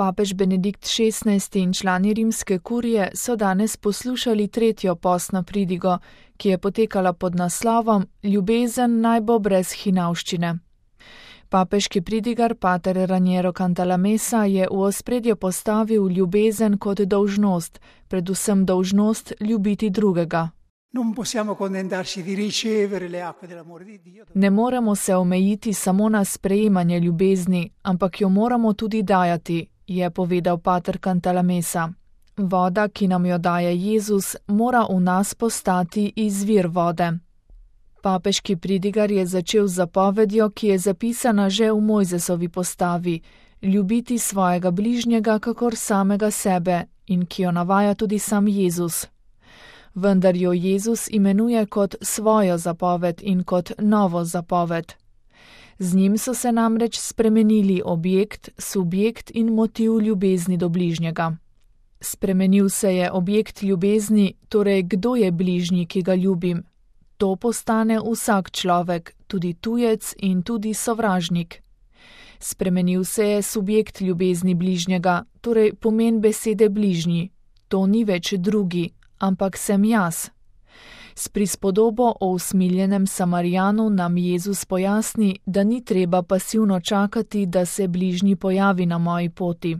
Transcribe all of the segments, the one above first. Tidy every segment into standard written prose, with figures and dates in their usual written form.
Papež Benedikt XVI in člani rimske kurije so danes poslušali tretjo postno pridigo, ki je potekala pod naslovom Ljubezen naj bo brez hinavščine. Papeški pridigar pater Raniero Cantalamessa je v ospredje postavil ljubezen kot dolžnost, predvsem dolžnost ljubiti drugega. Ne moremo se omejiti samo na sprejemanje ljubezni, ampak jo moramo tudi dajati, je povedal pater Cantalamessa. Voda, ki nam jo daje Jezus, mora v nas postati izvir vode. Papeški pridigar je začel z zapovedjo, ki je zapisana že v Mojzesovi postavi, ljubiti svojega bližnjega kakor samega sebe in ki jo navaja tudi sam Jezus. Vendar jo Jezus imenuje kot svojo zapoved in kot novo zapoved. Z njim so se namreč spremenili objekt, subjekt in motiv ljubezni do bližnjega. Spremenil se je objekt ljubezni, torej kdo je bližnji, ki ga ljubim. To postane vsak človek, tudi tujec in tudi sovražnik. Spremenil se je subjekt ljubezni bližnjega, torej pomen besede bližnji. To ni več drugi, ampak sem jaz. S prispodobo o usmiljenem Samarijanu nam Jezus pojasni, da ni treba pasivno čakati, da se bližnji pojavi na moji poti.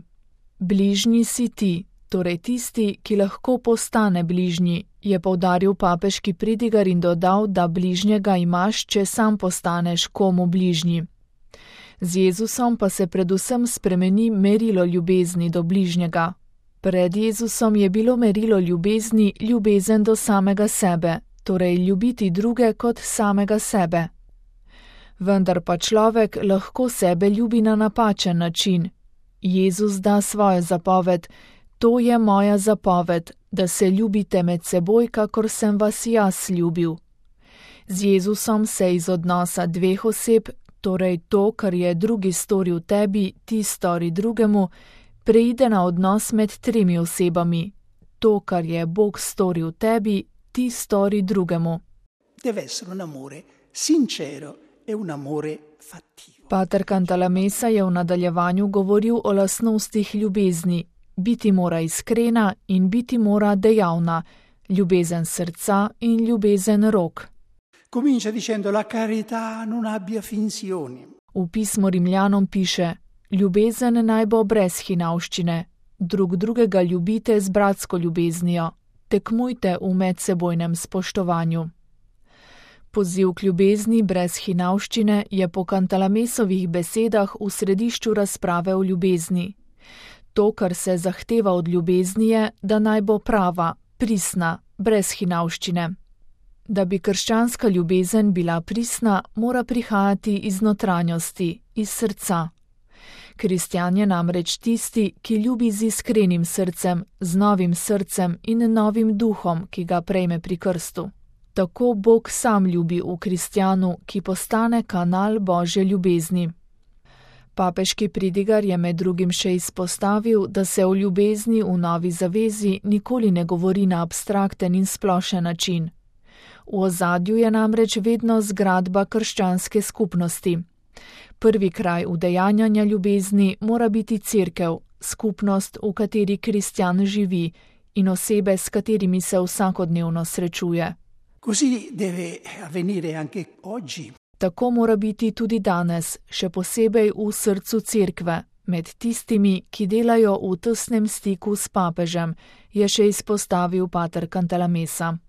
Bližnji si ti, torej tisti, ki lahko postane bližnji, je poudaril papeški pridigar in dodal, da bližnjega imaš, če sam postaneš komu bližnji. Z Jezusom pa se predvsem spremeni merilo ljubezni do bližnjega. Pred Jezusom je bilo merilo ljubezni ljubezen do samega sebe, torej ljubiti druge kot samega sebe. Vendar pa človek lahko sebe ljubi na napačen način. Jezus da svojo zapoved: to je moja zapoved, da se ljubite med seboj, kakor sem vas jaz ljubil. Z Jezusom se iz odnosa dveh oseb, torej to, kar je drugi storil tebi, ti stori drugemu, preide na odnos med tremi osebami. To, kar je Bog storil tebi, ti stori drugemu. Pater Cantalamessa je v nadaljevanju govoril o lastnostih ljubezni. Biti mora iskrena in biti mora dejavna, ljubezen srca in ljubezen rok. V pismu Rimljanom piše: ljubezen naj bo brez hinavščine, drug drugega ljubite z bratsko ljubeznijo, tekmujte v medsebojnem spoštovanju. Poziv k ljubezni brez hinavščine je po Cantalamessovih besedah v središču razprave o ljubezni. To, kar se zahteva od ljubezni, je, da naj bo prava, pristna, brez hinavščine. Da bi krščanska ljubezen bila pristna, mora prihajati iz notranjosti, iz srca. Kristjan je namreč tisti, ki ljubi z iskrenim srcem, z novim srcem in novim duhom, ki ga prejme pri krstu. Tako Bog sam ljubi v kristjanu, ki postane kanal Božje ljubezni. Papeški pridigar je med drugim še izpostavil, da se o ljubezni v novi zavezi nikoli ne govori na abstrakten in splošen način. V ozadju je namreč vedno zgradba krščanske skupnosti. Prvi kraj udejanjanja ljubezni mora biti cerkev, skupnost, v kateri kristjan živi, in osebe, s katerimi se vsakodnevno srečuje. Tako mora biti tudi danes, še posebej v srcu cerkve, med tistimi, ki delajo v tesnem stiku s papežem, je še izpostavil pater Cantalamessa.